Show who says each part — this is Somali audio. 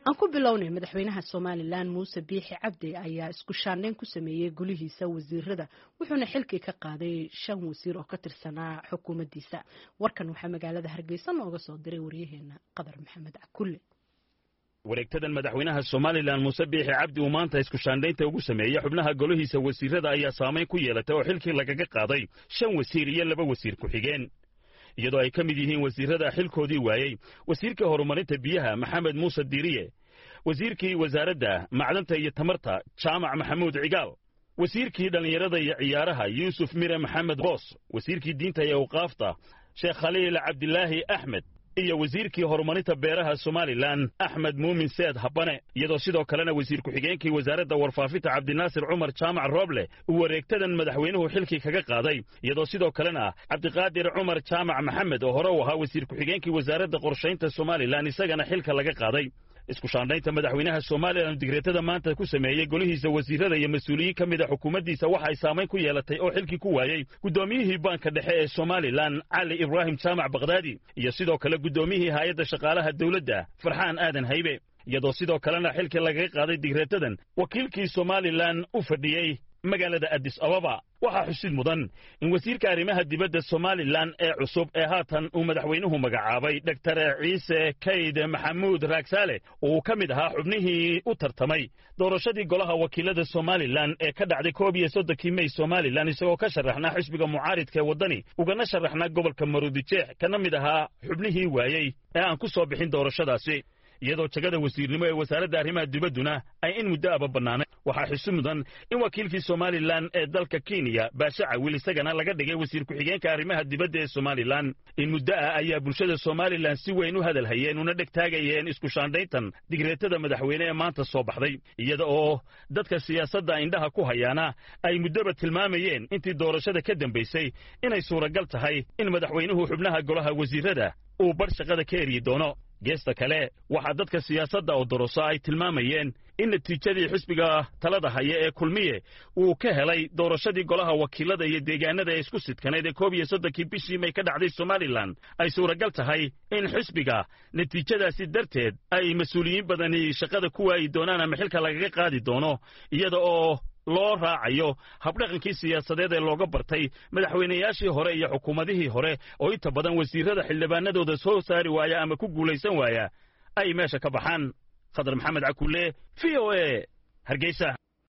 Speaker 1: Aan ku bilownay, madaxweynaha Somalilan Muuse Biixi Cabdi ayaa isku shaandhayn ku sameeyey golihiisa wasiirada, wuxuuna xilkii ka qaaday shan wasiir oo ka tirsanaa xukuumaddiisa. Warkan waxaa magaalada Hargeysa nooga soo diray waryaheena Qadar Maxamed Cakulle.
Speaker 2: Wareegtadan madaxweynaha Somalilan Muuse Biixi Cabdi uu maanta isku shaandhaynta ugu sameeyey xubnaha golihiisa wasiirada ayaa saamayn ku yeelatay oo xilkii lagaga qaaday shan wasiir iyo laba wasiir ku-xigeen, iyadoo ay ka mid yihiin wasiirada xilkoodii waayey wasiirka horumarinta biyaha Maxamed Muuse Diiriye, wasiirkii wasaaradda macdanta iyo tamarta Jaamac Maxamuud Cigaal, wasiirkii dhallinyarada iyo ciyaaraha Yuusuf Mire Maxamed Boos, wasiirkii diinta iyo awqaafta Sheekh Khaliil Cabdilaahi Axmed iyo wasiirkii horumarinta beeraha Somalilan Axmed Muumin Seed Habane, iyadoo sidoo kalena wasiir ku-xigeenkii wasaaradda warfaafinta Cabdinaasir Cumar Jaamac Rooble uu wareegtadan madaxweynuhu xilkii kaga qaaday, iyadoo sidoo kalena Cabdiqaadir Cumar Jaamac Maxamed oo hore u ahaa wasiir ku-xigeenkii wasaaradda qorshaynta Somalilan isagana xilka laga qaaday. Isku shaandhaynta madaxweynaha Somalilan digreetada maanta ku sameeyey golihiisa wasiirada iyo mas-uuliyiin ka mid a xukuumaddiisa waxa ay saamayn ku yeelatay oo xilkii ku waayey guddoomiyihii baanka dhexe ee Somalilan Cali Ibraahim Jaamac Bakhdaadi iyo sidoo kale guddoomiyihii hay-adda shaqaalaha dowladda Farxaan Aadan Haybe, iyadoo sidoo kalena xilkii lagaga qaaday digreetadan wakiilkii Somalilan u fadhiyey magaalada Addis Ababa. Waxaa xusid mudan in wasiirka arrimaha dibadda Somalilan ee cusub ee haatan uu madaxweynuhu magacaabay, Doktor Ciise Kayd Maxamuud Raagsaale, uu ka mid ahaa xubnihii u tartamay doorashadii golaha wakiilada Somalilan ee ka dhacday 31-kii Mey Somalilan, isagoo ka sharaxnaa xisbiga mucaaridka ee Waddani ugana sharaxnaa gobolka Maroodijeex, kana mid ahaa xubnihii waayey ee aan ku soo bixin doorashadaasi, iyadoo jagada wasiirnimo ee wasaaradda arrimaha dibadduna ay in muddo aba bannaanay. Waxaa xusi mudan in wakiilkii Somalilan ee dalka Kenya Baashe Cawil isagana laga dhigay wasiir ku-xigeenka arrimaha dibadda ee Somalilan. In muddo ah ayaa bulshada Somalilan si weyn u hadal hayeen una dheg taagayeen isku shaandhayntan digreetada madaxweyne ee maanta soo baxday, iyada oo dadka siyaasadda indhaha ku hayaana ay muddoba tilmaamayeen intii doorashada ka dambaysay inay suuragal tahay in madaxweynuhu xubnaha golaha wasiirada uu bar shaqada ka eryi doono. Geesta kale, waxaa dadka siyaasadda oo doroso ay tilmaamayeen in natiijadii xisbiga talada haya ee Kulmiye uu ka helay doorashadii golaha wakiilada iyo deegaanada ee isku sidkanayd ee 31-kii bishii May ka dhacday Somalilan ay suuragal tahay in xisbiga natiijadaasi darteed ay mas-uuliyiin badani shaqada ku waayi doonaan ama xilka lagaga qaadi doono, iyada oo loo raacayo habdhaqankii siyaasadeed ee looga bartay madaxweynayaashii hore iyo xukuumadihii hore oo inta badan wasiirada xildhibaanadooda soo saari waaya ama ku guulaysan waaya ay meesha ka baxaan. Khadar Maxamed Cakulle, VOA, Hargeysa.